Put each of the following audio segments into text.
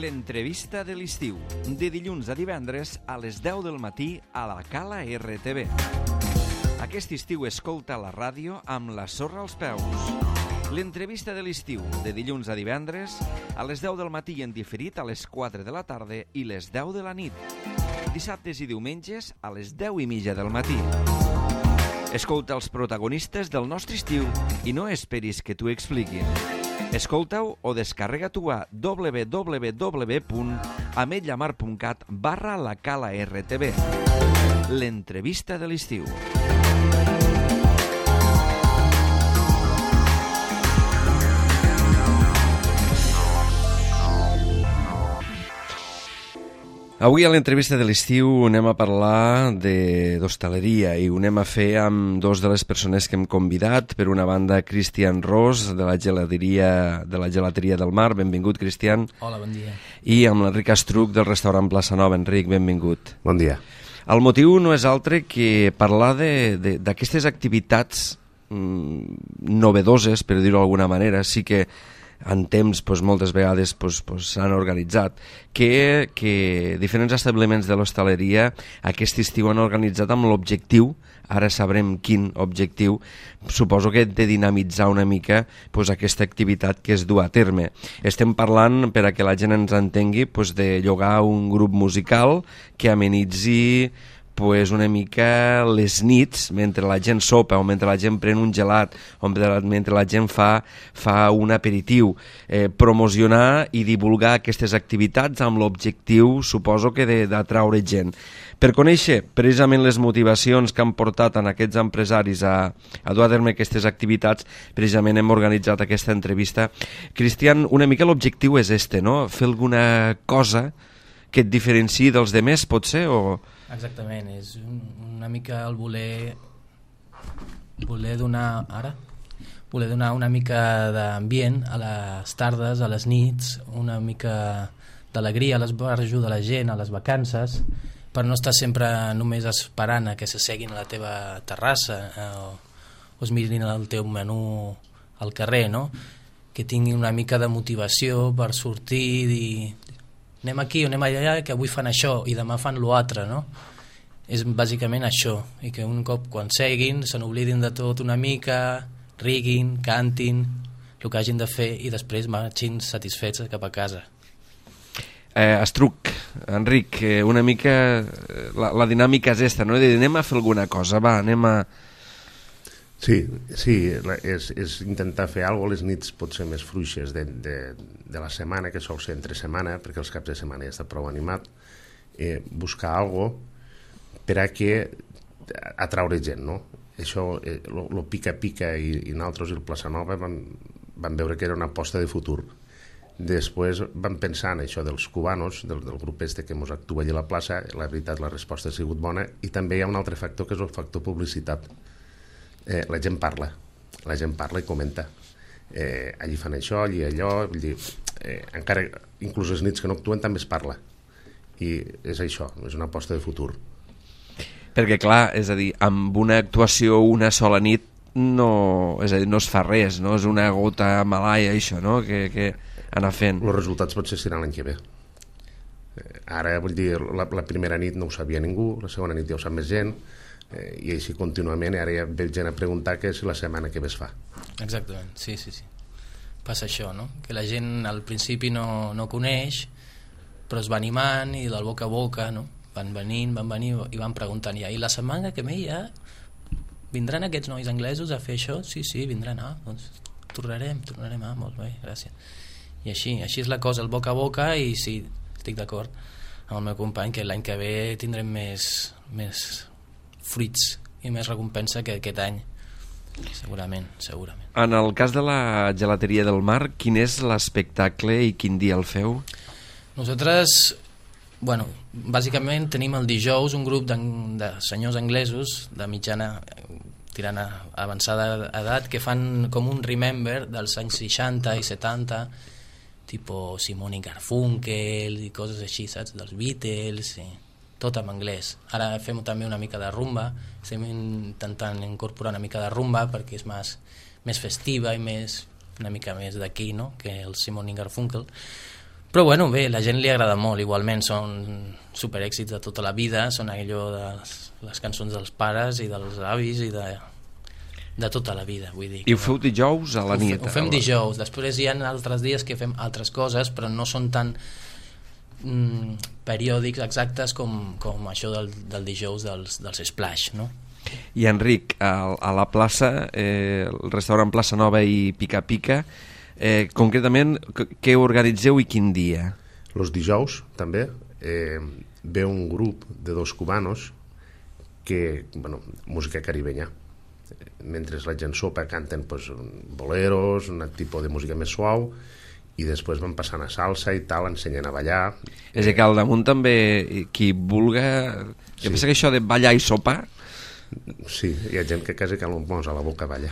L'entrevista de l'estiu, de dilluns a divendres a les 10 del matí a la Cala RTV. Aquest estiu escolta la ràdio amb la sorra als peus. L'entrevista de l'estiu, de dilluns a divendres a les 10 del matí i en diferit a les 4 de la tarda i les 10 de la nit. Dissabtes i diumenges a les 10:30 del matí. Escolta els protagonistes del nostre estiu i no esperis que t'ho expliquin. Escolta-ho o descarrega-t'ho a www.ametlllamar.cat/la Cala RTV. L'entrevista de l'estiu. Avui a l'entrevista de l'estiu anem a parlar d'hostaleria i ho anem a fer amb dos de les persones que hem convidat. Per una banda, Cristian Ros, de la gelateria del Mar. Benvingut, Cristian. Hola, bon dia. I amb l'Enric Astruc, del restaurant Plaça Nova. Enric, benvingut. Bon dia. El motiu no és altre que parlar d'aquestes activitats novedoses, per dir-ho d'alguna manera. Sí que en temps moltes vegades s'han organitzat, que diferents establiments de l'hostaleria aquest estiu han organitzat amb l'objectiu, ara sabrem quin objectiu, suposo que de dinamitzar una mica aquesta activitat que es du a terme. Estem parlant, per a que la gent ens entengui, de llogar un grup musical que amenitzi una mica les nits, mentre la gent sopa o mentre la gent pren un gelat o mentre la gent fa un aperitiu, promocionar i divulgar aquestes activitats amb l'objectiu, suposo que d'atraure gent. Per conèixer precisament les motivacions que han portat a aquests empresaris a dur a terme aquestes activitats, precisament hem organitzat aquesta entrevista. Cristian, una mica l'objectiu és no? Fer alguna cosa que et diferenciï dels demés, potser, o... Exactament, és una mica el voler donar una mica d'ambient a les tardes, a les nits, una mica d'alegria a l'esbarjo de la gent, a les vacances, per no estar sempre només esperant a que s'asseguin a la teva terrassa o es mirin el teu menú al carrer, no? Que tinguin una mica de motivació per sortir i dir anem aquí o anem allà, que avui fan això i demà fan l'altre, no? És bàsicament això, i que un cop quan seguin se n'oblidin de tot una mica, riguin, cantin el que hagin de fer i després marxin satisfets cap a casa. Estruc, Enric, una mica la dinàmica és esta, no? Anem a fer alguna cosa, va, anem a... Sí, és intentar fer alguna cosa les nits potser més fluixes de la setmana, que sol ser entre setmana, perquè els caps de setmana ja està prou animat, buscar alguna cosa per a que atraure gent, no? Això, lo pica-pica i nosaltres i el Plaça Nova vam veure que era una aposta de futur. Després vam pensar en això dels cubanos, del grup que ens actua allà a la plaça. La veritat, la resposta ha sigut bona, i també hi ha un altre factor que és el factor publicitat. La gent parla i comenta. Allí fan això, allí allò, encara inclús les nits que no actuen també es parla, i és això, és una aposta de futur. Perquè clar, és a dir, amb una actuació una sola nit no es fa res, no? És una gota malaia això, no? Que anar fent. Els resultats potser seran l'any que ve. Ara, vull dir, la primera nit no ho sabia ningú, la segona nit ja ho sap més gent, i així contínuament. Ara ja ve gent a preguntar que si la setmana que ve es fa. Exactament, sí. Passa això, no? Que la gent al principi no coneix, però es va animant i del boca a boca, no? Van venir i van preguntant i la setmana que ve ja vindran aquests nois anglesos a fer això? Sí, vindran, doncs tornarem, molt bé, gràcies. I així és la cosa, el boca a boca, i sí, estic d'acord amb el meu company que l'any que ve tindrem més fruits i més recompensa que aquest any, segurament. En el cas de la gelateria del Mar, quin és l'espectacle i quin dia el feu? Nosaltres, bàsicament tenim el dijous un grup de senyors anglesos de mitjana tirant a avançada edat que fan com un remember dels anys 60 i 70, tipus Simon i Garfunkel i coses així, saps? Dels Beatles, tot en anglès. Ara fem també una mica de rumba, estem intentant incorporar una mica de rumba perquè és més festiva i una mica més d'aquí, no?, que el Simon i Garfunkel. Però bueno, bé, la gent li agrada molt, igualment són superèxits de tota la vida, són allò de les cançons dels pares i dels avis i de tota la vida, vull dir. I ho feu dijous a la nit? Ho fem dijous, després hi ha altres dies que fem altres coses, però no són tan periòdics exactes com això del dijous dels Splash, no? I Enric, a la plaça, el restaurant Plaça Nova i Pica Pica, concretament, què organitzeu i quin dia? Los dijous, també, ve un grup de 2 cubanos que, bueno, música caribenya. Mentre la gent sopa canten pues, boleros, un tipus de música més suau, i després van passant a salsa i tal, ensenyen a ballar. És que al damunt també, qui vulga... Jo penso que això de ballar i sopar... Sí, hi ha gent que quasi que amb mos a la boca balla.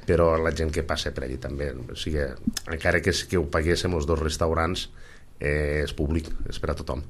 Però la gent que passa per allí també, o sigui, encara que ho paguéssim els 2 restaurants, és públic, és per a tothom.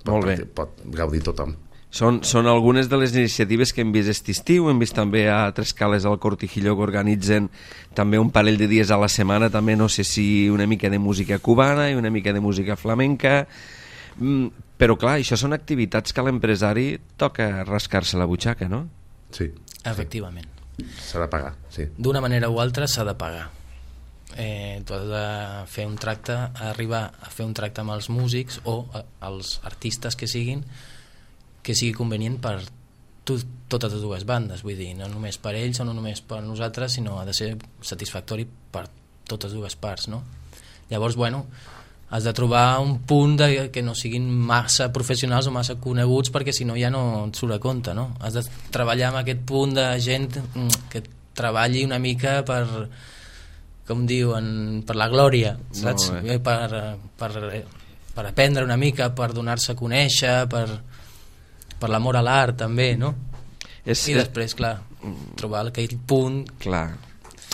Molt bé. Pot gaudir tothom. Són algunes de les iniciatives que hem vist aquest estiu, hem vist també a Tres Cales al Cortijillo que organitzen també un parell de dies a la setmana, també no sé si una mica de música cubana i una mica de música flamenca, però clar, això són activitats que a l'empresari toca rascar-se la butxaca, no? Sí. Efectivament. S'ha de pagar, sí. D'una manera o altra s'ha de pagar. Tu has de fer un tracte, arribar a fer un tracte amb els músics o els artistes que sigui convenient per totes les dues bandes, vull dir, no només per ells o no només per nosaltres, sinó ha de ser satisfactori per totes dues parts, no? Llavors, bueno, has de trobar un punt que no siguin massa professionals o massa coneguts, perquè si no ja no et surt a compte, no? Has de treballar amb aquest punt de gent que treballi una mica per, com diuen, per la glòria, saps? Per aprendre una mica, per donar-se a conèixer, per l'amor a l'art també, no? I després, clar, trobar aquell punt... Clar.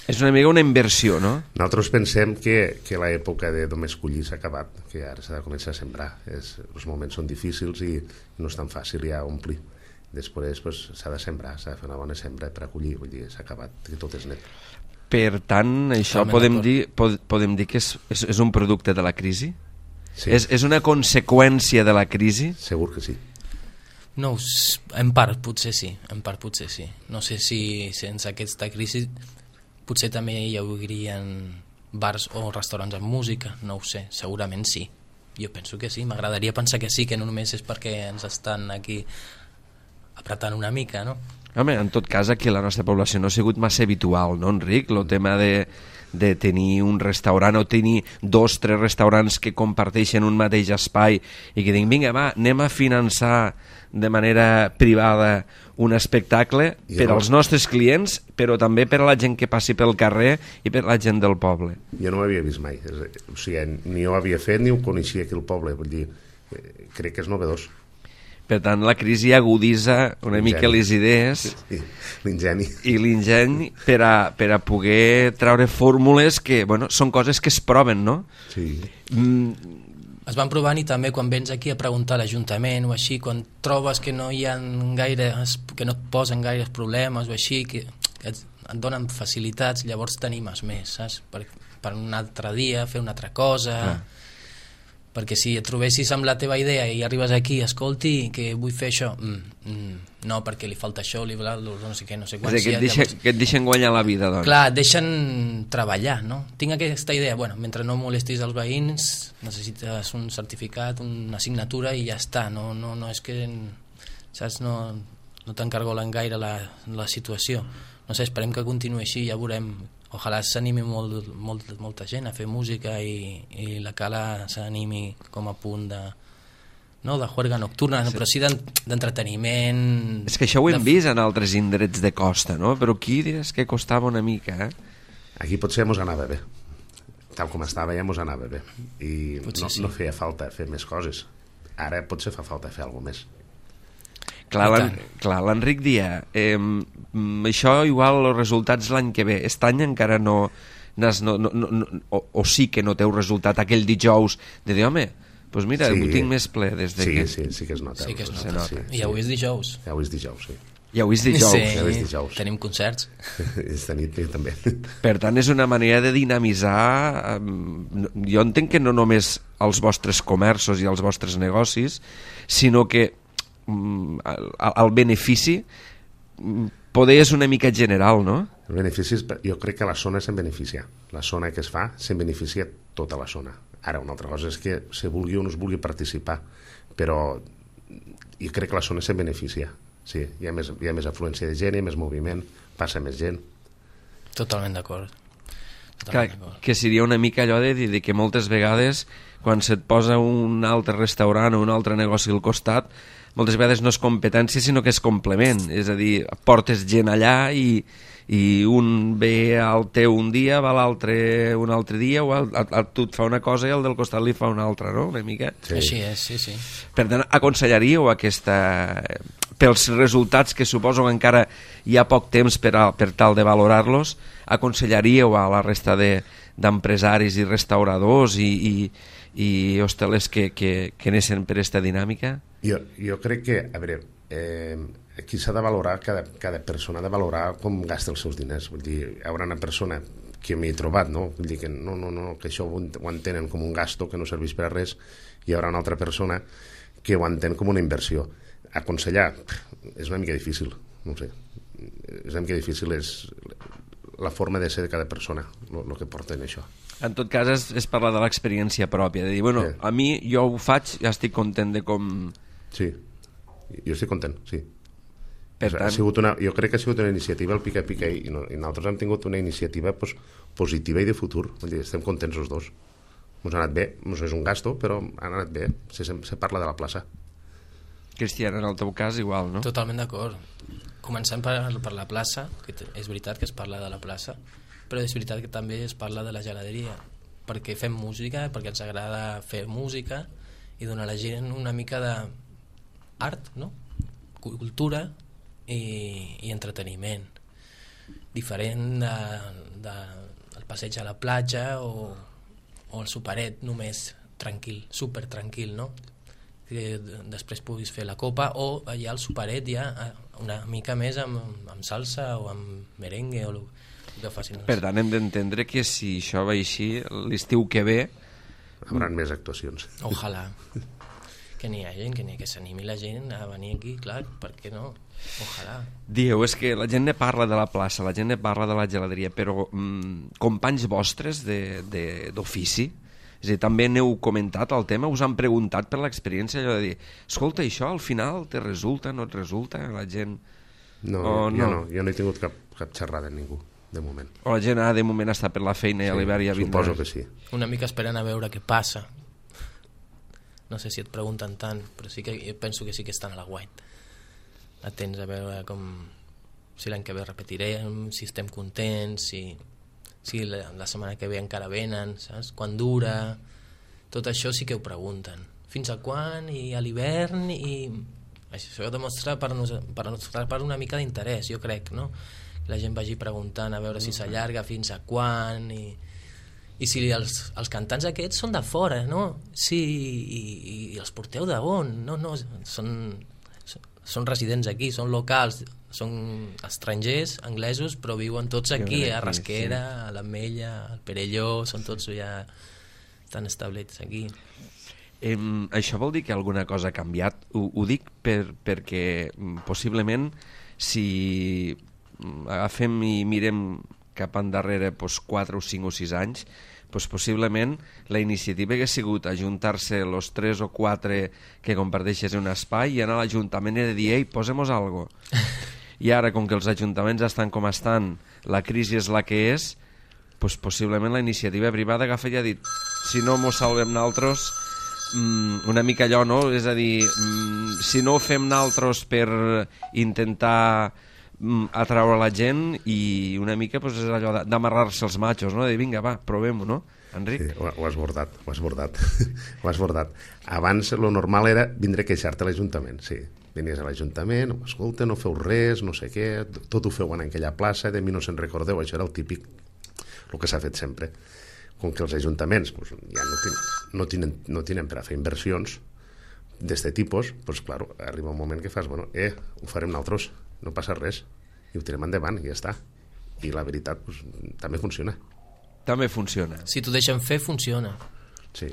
És una mica una inversió, no? Nosaltres pensem que l'època de només collir s'ha acabat, que ara s'ha de començar a sembrar. Els moments són difícils i no és tan fàcil ja omplir. Després pues, s'ha de sembrar, s'ha de fer una bona sembra per acollir, vull dir, s'ha acabat, que tot és net. Per tant, això podem dir que és un producte de la crisi? Sí. És una conseqüència de la crisi? Segur que sí. No, en part potser sí, No sé si sense aquesta crisi potser també hi haurien bars o restaurants amb música, no ho sé, segurament sí. Jo penso que sí, m'agradaria pensar que sí, que no només és perquè ens estan aquí apretant una mica, no? Home, en tot cas, aquí la nostra població no ha sigut massa habitual, no, Enric? El tema de tenir un restaurant o tenir 2 o 3 restaurants que comparteixen un mateix espai i que diguin, vinga, va, anem a finançar de manera privada un espectacle per als nostres clients, però també per a la gent que passi pel carrer i per a la gent del poble. Jo no ho havia vist mai, o sigui, ni ho havia fet ni ho coneixia aquí al poble, vull dir, crec que és novedós. Per tant, la crisi aguditza una mica les idees l'ingeni i l'ingeni per a poder treure fórmules que, bueno, són coses que es proven, no? Sí. Es van provant i també quan vens aquí a preguntar a l'Ajuntament o així, quan trobes que no hi ha que no et posen gaires problemes o així, que et donen facilitats, llavors t'animes més, saps? Per un altre dia, fer una altra cosa... Perquè si et trobessis amb la teva idea i arribes aquí, escolti, que vull fer això, no, perquè li falta això, no sé què, no sé quant. És que et deixen guanyar la vida, doncs. Clar, et deixen treballar, no? Tinc aquesta idea, bueno, mentre no molestis els veïns, necessites un certificat, una assignatura i ja està, no és que, saps, no t'encargolen gaire la situació. No sé, esperem que continuï així, ja veurem. Ojalà s'animi molta gent a fer música i la Cala s'animi com a punt de juerga nocturna, però sí d'entreteniment. És que això ho hem vist en altres indrets de costa, no? Però aquí diràs que costava una mica, eh? Aquí potser mos anava bé. Tal com estava ja mos anava bé. I no feia falta fer més coses. Ara potser fa falta fer alguna més. Clar, l'Enric dia, això igual els resultats l'any que ve, aquest any encara no o sí que no teu resultat aquell dijous de dir, home, doncs mira, ho tinc més ple des de que... Sí que es nota. Sí. I avui és dijous. Avui és dijous, sí. Ja ho és dijous. Ja ho és dijous. Tenim concerts. Esta nit també. Per tant, és una manera de dinamitzar... Jo entenc que no només els vostres comerços i els vostres negocis, sinó que el benefici poder és una mica general, no? Els beneficis, jo crec que la zona se'n beneficia. La zona que es fa se'n beneficia tota la zona. Ara, una altra cosa és que se vulgui o no es vulgui participar, però jo crec que la zona se'n beneficia. Sí, hi ha més afluència de gent, hi ha més moviment, passa més gent. Totalment d'acord. Que seria una mica allò de dir que moltes vegades quan se't posa un altre restaurant o un altre negoci al costat, moltes vegades no és competència sinó que és complement, és a dir, portes gent allà i un ve al teu un dia, va l'altre un altre dia, o tu et fa una cosa i el del costat li fa una altra, no? Una mica. Sí. Així és, sí. Per tant, aconsellaríeu pels resultats que suposo que encara hi ha poc temps per tal de valorar-los, aconsellaríeu a la resta d'empresaris i restauradors i hostelers que anessin per aquesta dinàmica? Jo crec que, a veure, aquí s'ha de valorar, cada persona ha de valorar com gasta els seus diners. Vull dir, hi haurà una persona que m'hi he trobat, no? Vull dir que no, que això ho entenen com un gasto que no serveix per a res, i hi haurà una altra persona que ho entén com una inversió. Aconsellar és una mica difícil, no sé, és una mica difícil, és la forma de ser de cada persona el que porta en això. En tot cas és parlar de l'experiència pròpia, de dir, bueno, sí. A mi jo ho faig, ja estic content de com... Sí, jo estic content, sí. Per tant... jo crec que ha sigut una iniciativa el Pica i nosaltres hem tingut una iniciativa positiva i de futur. Vull dir, estem contents els dos. Ens ha anat bé, és un gasto, però ha anat bé. Se parla de la plaça. Cristian, en el teu cas igual, no? Totalment d'acord. Començant per la plaça, que és veritat que es parla de la plaça, però és veritat que també es parla de la geladeria, perquè fem música, perquè ens agrada fer música i donar a la gent una mica d'art, no? Cultura i entreteniment, diferent del passeig a la platja o el superet només tranquil, super tranquil, no? Que després puguis fer la copa, o allà el superet ja una mica més amb salsa o amb merengue o el que facin. Per tant, hem d'entendre que si això va així, l'estiu que ve hauran més actuacions. Ojalà que n'hi ha gent, que s'animi la gent a venir aquí, clar, per què no? Ojalà. Dieu, és que la gent ne parla de la plaça, la gent ne parla de la geladeria, però companys vostres d'ofici, és a dir, també n'heu comentat el tema, us han preguntat per l'experiència, allò de dir, escolta, això al final te resulta, no et resulta? La gent... No, jo no he tingut cap xerrada amb ningú, de moment. O la gent de moment està per la feina i a l'hivern ja vindrà? Suposo que sí. Una mica esperant a veure què passa. No sé si et pregunten tant, però sí que jo penso que sí que estan a l'aguait. Atents a veure si l'any que ve repetirem, si estem contents, si la setmana que ve encara venen, saps? Quan dura, tot això sí que ho pregunten. Fins a quan, i a l'hivern, i això demostra per una mica d'interès, jo crec, no? La gent vagi preguntant a veure si s'allarga fins a quan, i si els cantants aquests són de fora, no? Sí, i els porteu d'on? No, són residents aquí, són locals, són estrangers, anglesos, però viuen tots aquí, a Rasquera, a l'Ametlla, al Perelló, són tots ja estan establits aquí. Això vol dir que alguna cosa ha canviat? Ho dic perquè possiblement si agafem i mirem cap endarrere 4 o 5 o 6 anys, possiblement la iniciativa hagués sigut ajuntar-se els 3 o 4 que comparteixes un espai i anar a l'Ajuntament i dir, ei, posem-nos algo. I ara, com que els ajuntaments estan com estan, la crisi és la que és, possiblement la iniciativa privada agafa i ha dit, si no mos salvem naltros, una mica allò, no? És a dir, si no ho fem naltros per intentar atraure la gent, i una mica és allò d'amarrar-se els matxos, no? De dir, vinga, va, provem-ho, no? Enric? Sí, ho has bordat. Ho has bordat. Abans lo normal era vindre a queixar-te a l'Ajuntament, sí. Venies a l'Ajuntament, escolta, no feu res, no sé què, tot ho feu en aquella plaça, de mi no se'n recordeu, això era el típic, el que s'ha fet sempre. Com que els ajuntaments ja no tenen per a fer inversions d'aquest tipus, clar, arriba un moment que fas, ho farem nosaltres. no passa res, i ho tirem endavant, i ja està. I la veritat, pues, també funciona. També funciona. Si t'ho deixen fer, funciona. Sí.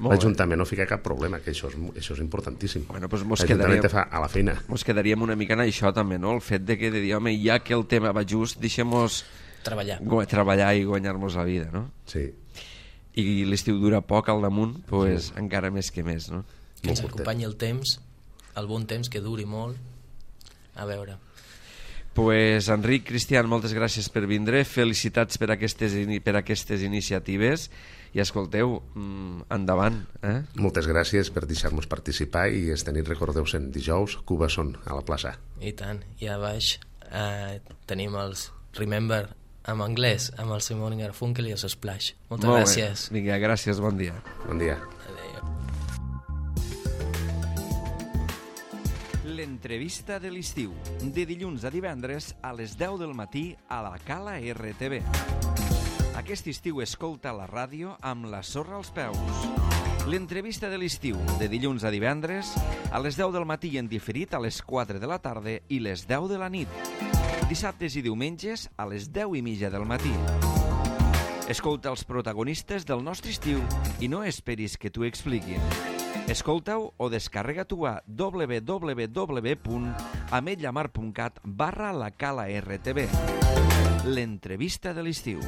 Molt L'Ajuntament no fica cap problema, que això és importantíssim. Bueno, pues L'Ajuntament te fa a la feina. Mos quedaríem una mica en això també, no? El fet de que de dir, home, ja que el tema va just, deixem-nos treballar i guanyar-nos la vida, no? Sí. I l'estiu dura poc al damunt, pues encara més que més, no? Que ens acompanyi el temps, el bon temps, que duri molt. A veure. Pues Enric, Cristian, moltes gràcies per vindre, felicitats per aquestes iniciatives i escolteu, endavant. Moltes gràcies per deixar-nos participar i esta nit recordeu-se'n, dijous, Cuba Son, a la plaça. I tant, i a baix tenim els Remember en anglès, amb el Simon & Garfunkel i els Splash. Moltes gràcies. Vinga, gràcies, bon dia. Bon dia. L'entrevista de l'estiu, de dilluns a divendres a les 10 del matí a la Cala RTV. Aquest estiu escolta la ràdio amb la sorra als peus. L'entrevista de l'estiu, de dilluns a divendres a les 10 del matí i en diferit a les 4 de la tarda i les 10 de la nit. Dissabtes i diumenges a les 10:30 del matí. Escolta els protagonistes del nostre estiu i no esperis que t'ho expliquin. Escolta-ho o descarrega-t'ho a www.ametllamar.cat/la Cala RTV. L'entrevista de l'estiu.